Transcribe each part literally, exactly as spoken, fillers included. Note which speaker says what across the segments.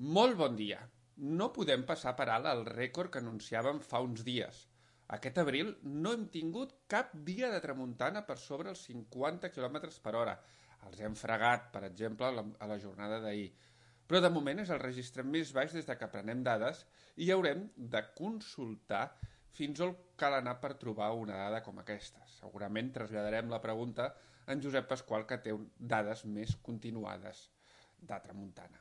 Speaker 1: Molt bon dia. No podem passar per alt el rècord que anunciàvem fa uns dies. Aquest abril no hem tingut cap dia de tramuntana per sobre els cinquanta quilòmetres per hora. Els hem fregat, per exemple, a la, a la jornada d'ahir. Però de moment és el registre més baix des de que prenem dades i haurem de consultar fins on cal anar per trobar una dada com aquesta. Segurament traslladarem la pregunta a en Josep Pasqual, que té dades més continuades de tramuntana.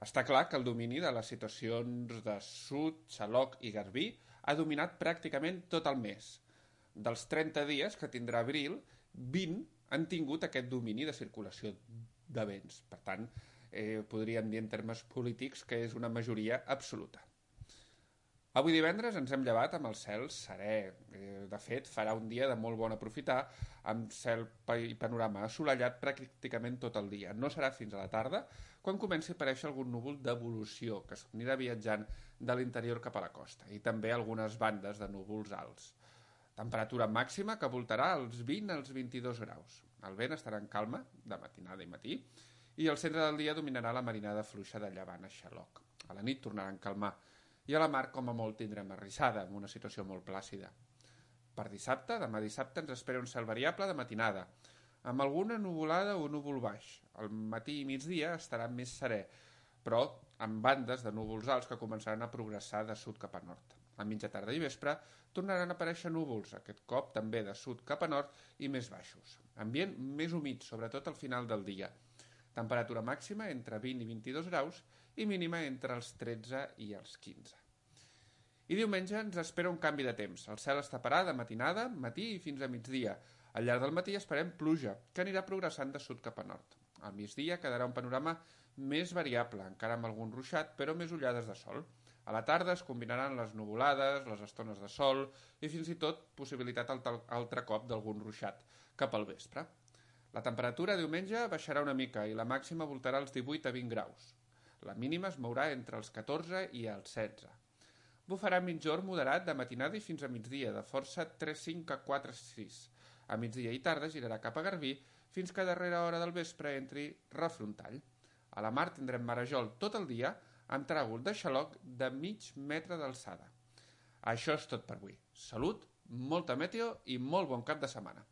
Speaker 1: Està clar que el domini de les situacions de Sud, Xaloc i Garbí ha dominat pràcticament tot el mes. Dels trenta dies que tindrà abril, vint han tingut aquest domini de circulació de vents. Per tant, eh, podríem dir en termes polítics que és una majoria absoluta. Avui divendres ens hem llevat amb el cel serè. De fet, farà un dia de molt bon aprofitar, amb cel i panorama assolellat pràcticament tot el dia. No serà fins a la tarda, quan comenci a aparèixer algun núvol d'evolució, que s'anirà viatjant de l'interior cap a la costa, i també algunes bandes de núvols alts. Temperatura màxima que voltarà als vint als vint-i-dos graus. El vent estarà en calma, de matinada i matí, i al centre del dia dominarà la marinada fluixa de llevant a Xaloc. A la nit tornarà a calmar, i a la mar, com a molt, tindrem arrissada, amb una situació molt plàcida. Per dissabte, demà dissabte, ens espera un cel variable de matinada, amb alguna nuvolada o núvol baix. Al matí i migdia estarà més serè, però amb bandes de núvols alts que començaran a progressar de sud cap a nord. A mitja tarda i vespre tornaran a aparèixer núvols, aquest cop també de sud cap a nord i més baixos. Ambient més humit, sobretot al final del dia. Temperatura màxima entre vint i vint-i-dos graus i mínima entre els tretze i els quinze. I diumenge ens espera un canvi de temps. El cel es taparà de matinada, matí i fins a migdia. Al llarg del matí esperem pluja, que anirà progressant de sud cap a nord. Al migdia quedarà un panorama més variable, encara amb algun ruixat, però més ullades de sol. A la tarda es combinaran les nuvolades, les estones de sol i fins i tot possibilitat altre cop d'algun ruixat cap al vespre. La temperatura diumenge baixarà una mica i la màxima voltarà als divuit a vint graus. La mínima es mourà entre els catorze i els setze. Bufarà mitjorn moderat de matinada i fins a migdia, de força tres cinc a quatre sis. A migdia i tarda girarà cap a Garbí fins que a darrera hora del vespre entri refrontall. A la mar tindrem marejol tot el dia amb tràgol de xaloc de mig metre d'alçada. Això és tot per avui. Salut, molta meteo i molt bon cap de setmana.